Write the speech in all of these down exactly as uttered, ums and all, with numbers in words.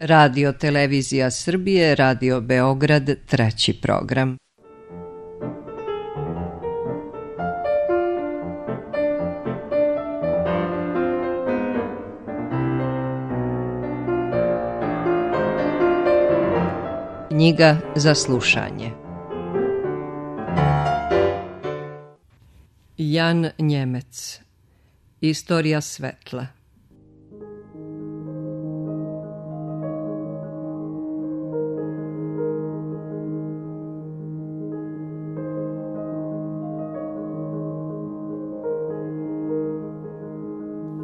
Radio Televizija Srbije, Radio Beograd, treći program. Knjiga za slušanje. Jan Njemec. Istorija svetla.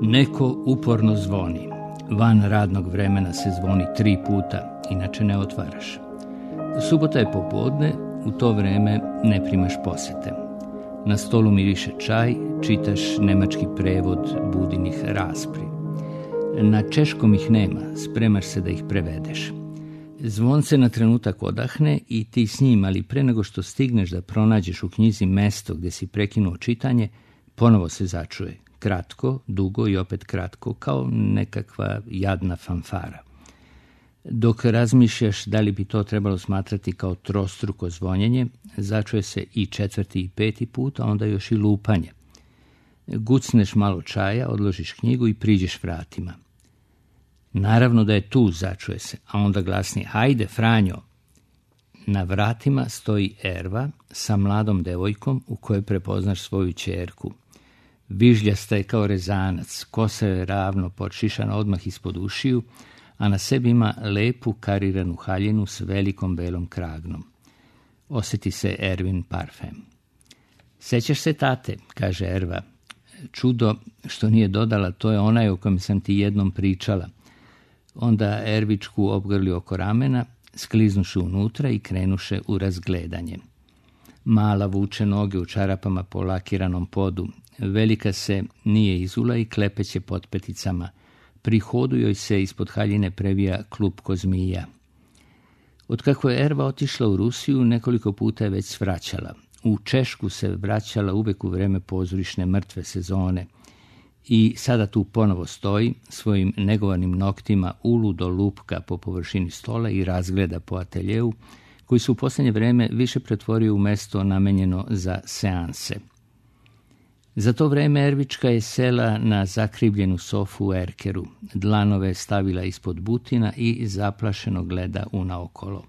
Neko uporno zvoni. Van radnog vremena se zvoni tri puta, inače ne otvaraš. Subota je popodne, u to vreme ne primaš posete. Na stolu miriše čaj, čitaš nemački prevod Budinih raspri. Na češkom ih nema, spremaš se da ih prevedeš. Zvonce na trenutak odahne i ti s njim, ali pre nego što stigneš da pronađeš u knjizi mesto gde si prekinuo čitanje, ponovo se začuje. Kratko, dugo i opet kratko, kao nekakva jadna fanfara. Dok razmišljaš da li bi to trebalo smatrati kao trostruko zvonjenje, začuje se i četvrti i peti put, a onda još i lupanje. Gucneš malo čaja, odložiš knjigu i priđeš vratima. Naravno da je tu, začuje se, a onda glasnije, hajde, Franjo. Na vratima stoji Erva sa mladom devojkom u kojoj prepoznaš svoju ćerku. Vižljasta je kao rezanac, kosa je ravno podšišana odmah ispod ušiju, a na sebi ima lepu kariranu haljinu s velikom belom kragnom. Osjeti se Ervin parfem. Sećaš se tate, kaže Erva. Čudo što nije dodala, to je onaj o kojem sam ti jednom pričala. Onda Ervičku obgrli oko ramena, skliznuše unutra i krenuše u razgledanje. Mala vuče noge u čarapama po lakiranom podu. Velika se nije izula i klepeće pod peticama. Pri hodu joj se ispod haljine previja klupko zmija. Otkako je Erva otišla u Rusiju, nekoliko puta je već svraćala. U Češku se vraćala uvek u vreme pozorišne mrtve sezone. I sada tu ponovo stoji, svojim negovanim noktima uludo lupka po površini stola i razgleda po ateljeu, koji se u posljednje vreme više pretvorio u mesto namenjeno za seanse. Za to vreme Ervička je sela na zakrivljenu sofu u erkeru, dlanove stavila ispod butina i zaplašeno gleda unaokolo.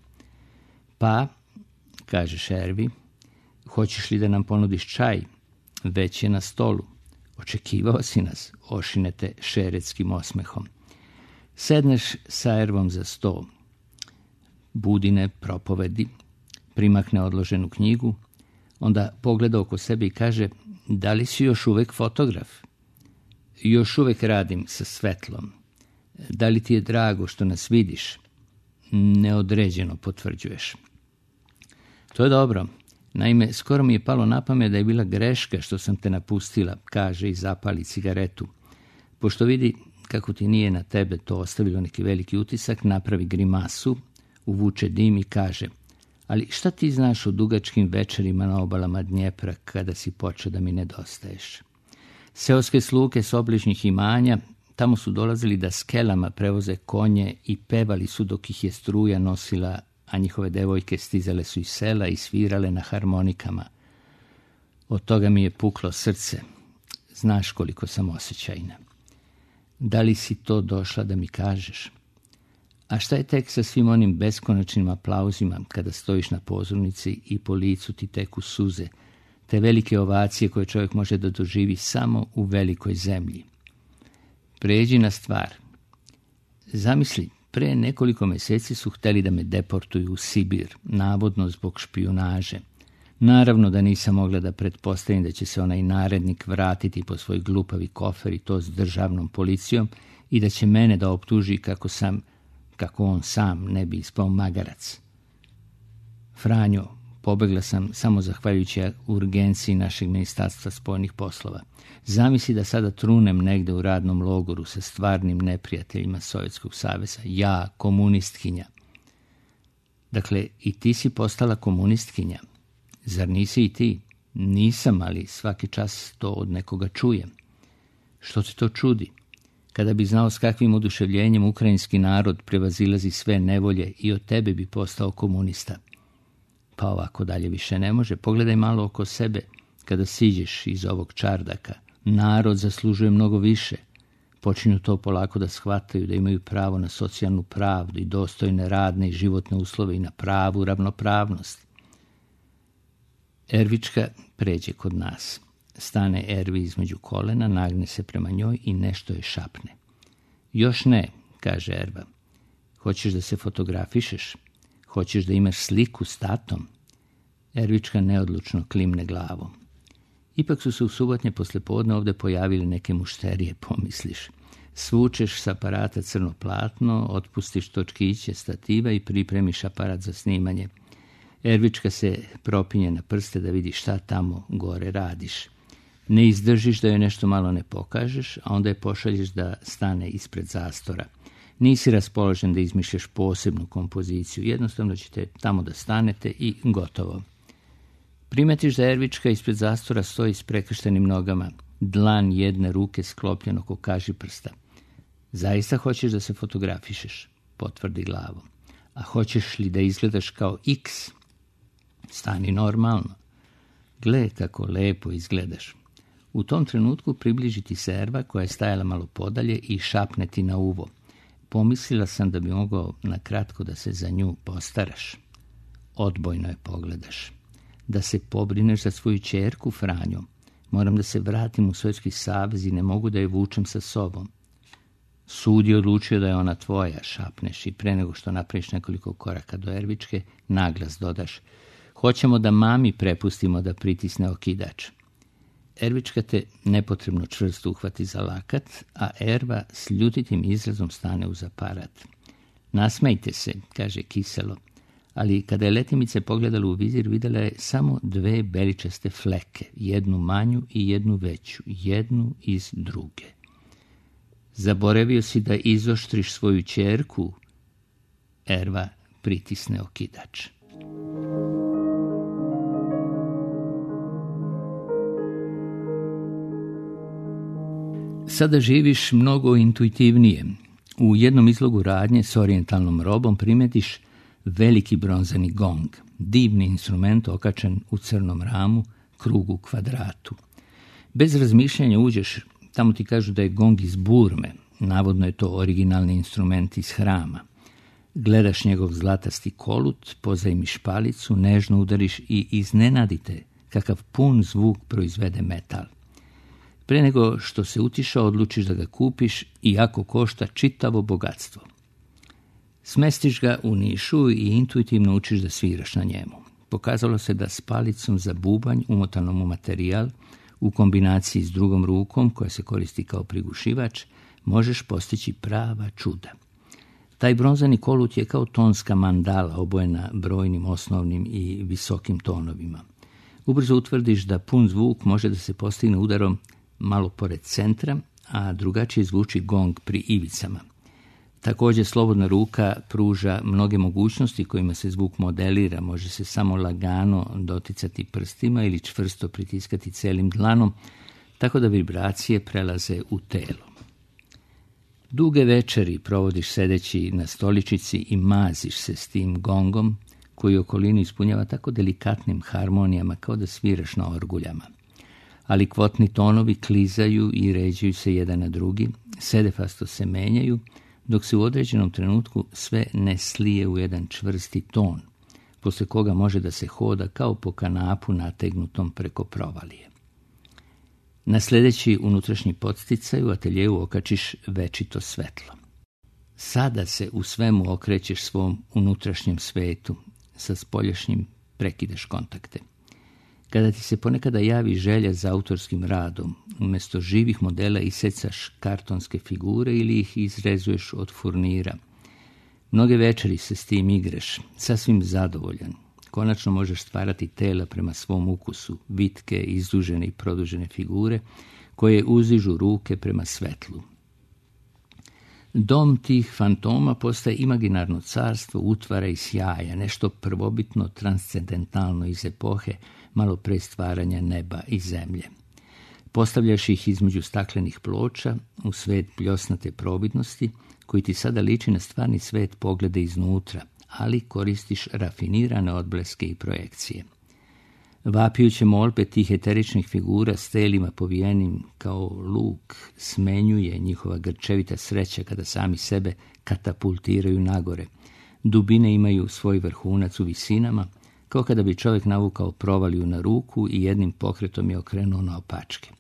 Pa, kažeš Ervi, hoćeš li da nam ponudiš čaj? Već je na stolu. Očekivao si nas, ošinete šeretskim osmehom. Sedneš sa Ervom za sto. Budine propovedi, primakne odloženu knjigu, onda pogleda oko sebe i kaže, da li si još uvek fotograf? Još uvek radim sa svetlom. Da li ti je drago što nas vidiš? Neodređeno potvrđuješ. To je dobro. Naime, skoro mi je palo na pamet da je bila greška što sam te napustila, kaže i zapali cigaretu. Pošto vidi kako ti nije na tebe to ostavilo neki veliki utisak, napravi grimasu, uvuče dim i kaže, ali šta ti znaš o dugačkim večerima na obalama Dnjepra kada si počeo da mi nedostaješ? Seoske sluge s obližnjih imanja tamo su dolazili da skelama prevoze konje i pevali su dok ih je struja nosila, a njihove devojke stizale su iz sela i svirale na harmonikama. Od toga mi je puklo srce. Znaš koliko sam osjećajna. Da li si to došla da mi kažeš? A šta je tek sa svim onim beskonačnim aplauzima kada stojiš na pozornici i po licu ti teku suze, te velike ovacije koje čovjek može da doživi samo u velikoj zemlji? Pređi na stvar. Zamisli, pre nekoliko meseci su hteli da me deportuju u Sibir, navodno zbog špijunaže. Naravno da nisam mogla da pretpostavim da će se onaj narednik vratiti po svoj glupavi kofer i to s državnom policijom i da će mene da optuži kako sam, kako on sam ne bi ispao magarac. Franjo, pobegla sam samo zahvaljujući urgenciji našeg ministarstva spoljnih poslova. Zamisli da sada trunem negde u radnom logoru sa stvarnim neprijateljima Sovjetskog saveza. Ja, komunistkinja. Dakle, i ti si postala komunistkinja. Zar nisi i ti? Nisam, ali svaki čas to od nekoga čujem. Što te to čudi? Kada bi znao s kakvim oduševljenjem ukrajinski narod prevazilazi sve nevolje i od tebe bi postao komunista. Pa ovako dalje više ne može. Pogledaj malo oko sebe kada siđeš iz ovog čardaka. Narod zaslužuje mnogo više. Počinju to polako da shvataju, da imaju pravo na socijalnu pravdu i dostojne radne i životne uslove i na pravu ravnopravnost. Ervička pređe kod nas. Stane Ervi između kolena, nagne se prema njoj i nešto je šapne. Još ne, kaže Erva. Hoćeš da se fotografišeš? Hoćeš da imaš sliku s tatom? Ervička neodlučno klimne glavom. Ipak su se u subotnje poslepodne ovde pojavili neke mušterije, pomisliš. Svučeš s aparata crno platno, otpustiš točkiće stativa i pripremiš aparat za snimanje. Ervička se propinje na prste da vidi šta tamo gore radiš. Ne izdržiš da joj nešto malo ne pokažeš, a onda je pošalješ da stane ispred zastora. Nisi raspoložen da izmišljaš posebnu kompoziciju, jednostavno ćete tamo da stanete i gotovo. Primetiš da Ervička ispred zastora stoji s prekrštenim nogama, dlan jedne ruke sklopljeno oko kažiprsta. Zaista hoćeš da se fotografišeš, potvrdi glavom. A hoćeš li da izgledaš kao X? Stani normalno. Gle kako lepo izgledaš. U tom trenutku približi ti se Erva koja je stajala malo podalje i šapne ti na uvo. Pomislila sam da bi mogao na kratko da se za nju postaraš. Odbojno je pogledaš. Da se pobrineš za svoju ćerku, Franjo. Moram da se vratim u Sovjetski savez i ne mogu da je vučem sa sobom. Sud je odlučio da je ona tvoja, šapneš i pre nego što napraviš nekoliko koraka do Ervičke, naglas dodaš. Hoćemo da mami prepustimo da pritisne okidač. Ervička te nepotrebno čvrsto uhvati za lakat, a Erva s ljutitim izrazom stane uz aparat. Nasmejte se, kaže kiselo, ali kada je letimice pogledala u vizir, videla je samo dve beličaste fleke, jednu manju i jednu veću, jednu iz druge. Zaboravio si da izoštriš svoju ćerku? Erva pritisne okidač. Sada živiš mnogo intuitivnije. U jednom izlogu radnje s orijentalnom robom primetiš veliki bronzani gong, divni instrument okačen u crnom ramu, krugu kvadratu. Bez razmišljanja uđeš, tamo ti kažu da je gong iz Burme, navodno je to originalni instrument iz hrama. Gledaš njegov zlatasti kolut, pozajmiš palicu, nežno udariš i iznenadite kakav pun zvuk proizvede metal. Pre nego što se utišao, odlučiš da ga kupiš, iako košta čitavo bogatstvo. Smestiš ga u nišu i intuitivno učiš da sviraš na njemu. Pokazalo se da s palicom za bubanj, umotanom u materijal, u kombinaciji s drugom rukom, koja se koristi kao prigušivač, možeš postići prava čuda. Taj bronzani kolut je kao tonska mandala obojena brojnim osnovnim i visokim tonovima. Ubrzo utvrdiš da pun zvuk može da se postigne udarom malo pored centra, a drugačije zvuči gong pri ivicama. Također slobodna ruka pruža mnoge mogućnosti kojima se zvuk modelira, može se samo lagano doticati prstima ili čvrsto pritiskati celim dlanom, tako da vibracije prelaze u telo. Duge večeri provodiš sedeći na stoličici i maziš se s tim gongom koji okolinu ispunjava tako delikatnim harmonijama kao da sviraš na orguljama. Ali kvotni tonovi klizaju i ređuju se jedan na drugi, sedefasto se menjaju, dok se u određenom trenutku sve ne slije u jedan čvrsti ton, posle koga može da se hoda kao po kanapu nategnutom preko provalije. Na sljedeći unutrašnji podsticaj u ateljevu okačiš večito svetlo. Sada se u svemu okrećeš svom unutrašnjem svetu, sa spoljašnjim prekidaš kontakte. Kada ti se ponekada javi želja za autorskim radom, umjesto živih modela isecaš kartonske figure ili ih izrezuješ od furnira. Mnoge večeri se s tim igraš, sasvim zadovoljan. Konačno možeš stvarati tela prema svom ukusu, vitke, izdužene i produžene figure, koje uzižu ruke prema svetlu. Dom tih fantoma postaje imaginarno carstvo utvara i sjaja, nešto prvobitno transcendentalno iz epohe, malo pre stvaranja neba i zemlje. Postavljaš ih između staklenih ploča u svet pljosnate providnosti, koji ti sada liči na stvarni svet pogleda iznutra, ali koristiš rafinirane odbleske i projekcije. Vapijuće molbe tih eteričnih figura s telima povijenim kao luk smenjuje njihova grčevita sreća kada sami sebe katapultiraju nagore. Dubine imaju svoj vrhunac u visinama, kao kada bi čovjek navukao provaliju na ruku i jednim pokretom je okrenuo na opačke.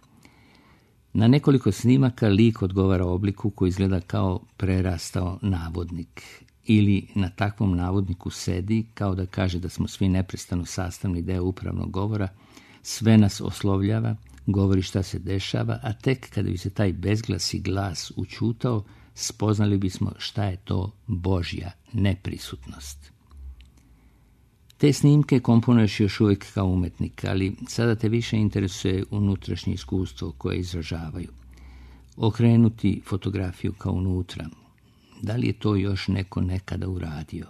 Na nekoliko snimaka lik odgovara obliku koji izgleda kao prerastao navodnik. Ili na takvom navodniku sedi, kao da kaže da smo svi neprestano sastavni deo upravnog govora, sve nas oslovljava, govori šta se dešava, a tek kada bi se taj bezglasi glas učutao, spoznali bismo šta je to Božja neprisutnost. Te snimke komponuješ još uvijek kao umetnik, ali sada te više interesuje unutrašnje iskustvo koje izražavaju. Okrenuti fotografiju kao unutra. Da li je to još neko nekada uradio?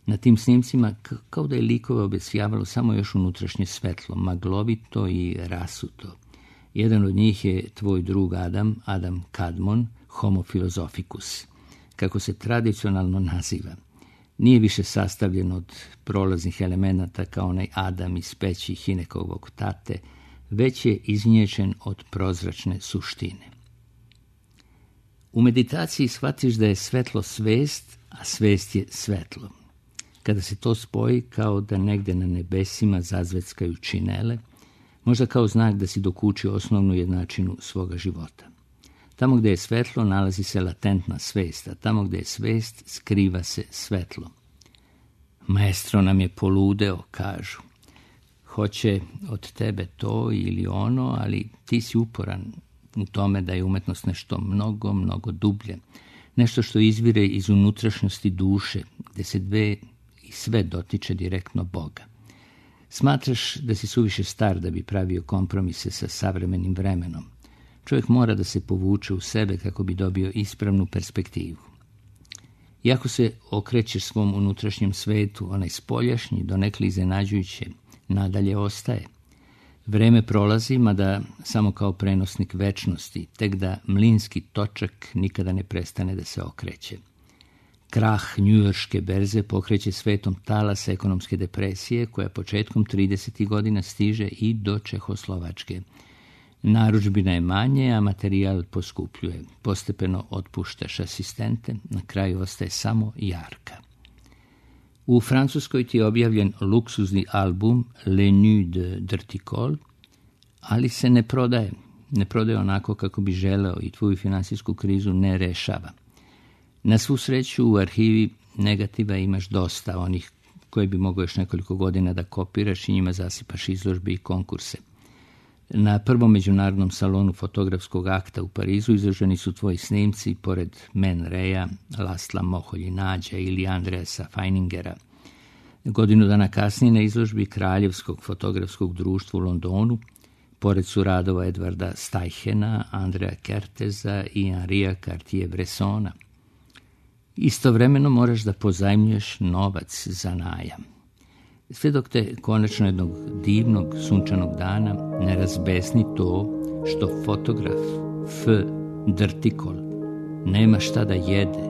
Na tim snimcima kao da je likove obesjavalo samo još unutrašnje svetlo, maglovito i rasuto. Jedan od njih je tvoj drug Adam, Adam Kadmon, Homo philosophicus, kako se tradicionalno naziva. Nije više sastavljen od prolaznih elemenata kao onaj Adam iz peći Hinekovog tate, već je iznječen od prozračne suštine. U meditaciji shvatiš da je svetlo svest, a svest je svetlo. Kada se to spoji, kao da negde na nebesima zazveckaju činele, možda kao znak da si dokučio osnovnu jednačinu svoga života. Tamo gde je svetlo nalazi se latentna svest, a tamo gde je svest skriva se svetlo. Maestro nam je poludeo, kažu. Hoće od tebe to ili ono, ali ti si uporan u tome da je umetnost nešto mnogo, mnogo dublje. Nešto što izvire iz unutrašnjosti duše, gde se dve i sve dotiče direktno Boga. Smatraš da si suviše star da bi pravio kompromise sa savremenim vremenom. Čovjek mora da se povuče u sebe kako bi dobio ispravnu perspektivu. Iako se okrećeš svom unutrašnjem svetu, onaj spoljašnji, donekle iznenađujuće, nadalje ostaje. Vreme prolazi, mada samo kao prenosnik večnosti, tek da mlinski točak nikada ne prestane da se okreće. Krah njujorške berze pokreće svetom talas ekonomske depresije, koja početkom tridesetih godina stiže i do Čehoslovačke. Narudžbina je manje, a materijal poskupljuje. Postepeno otpuštaš asistente, na kraju ostaje samo jarka. U Francuskoj ti je objavljen luksuzni album Le Nuit de Dirty, ali se ne prodaje. Ne prodaje onako kako bi želeo i tvoju finansijsku krizu ne rešava. Na svu sreću u arhivi negativa imaš dosta, onih koje bi mogao još nekoliko godina da kopiraš i njima zasipaš izložbe i konkurse. Na prvom međunarodnom salonu fotografskog akta u Parizu izloženi su tvoji snimci pored Man Raya, Lasla Moholjinađa ili Andreasa Feiningera. Godinu dana kasnije na izložbi Kraljevskog fotografskog društva u Londonu, pored su radova Edvarda Steichena, Andrea Kerteza i Henria Cartier-Bressona. Istovremeno moraš da pozajmljuješ novac za najam. Sve dok te konačno jednog divnog sunčanog dana ne razbesni to što fotograf F. Drtikol nema šta da jede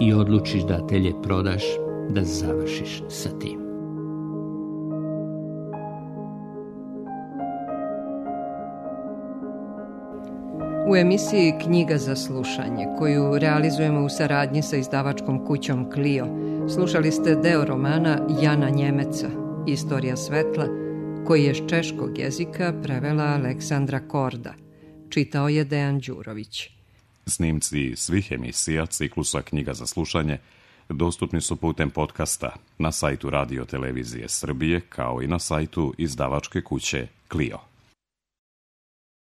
i odlučiš da atelje prodaš da završiš sa tim. U emisiji Knjiga za slušanje, koju realizujemo u saradnji sa izdavačkom kućom Clio, slušali ste deo romana Jana Njemeca, Istorija svetla, koji je s češkog jezika prevela Aleksandra Korda. Čitao je Dejan Đurović. Snimci svih emisija ciklusa Knjiga za slušanje dostupni su putem podcasta na sajtu Radio Televizije Srbije, kao i na sajtu izdavačke kuće Clio.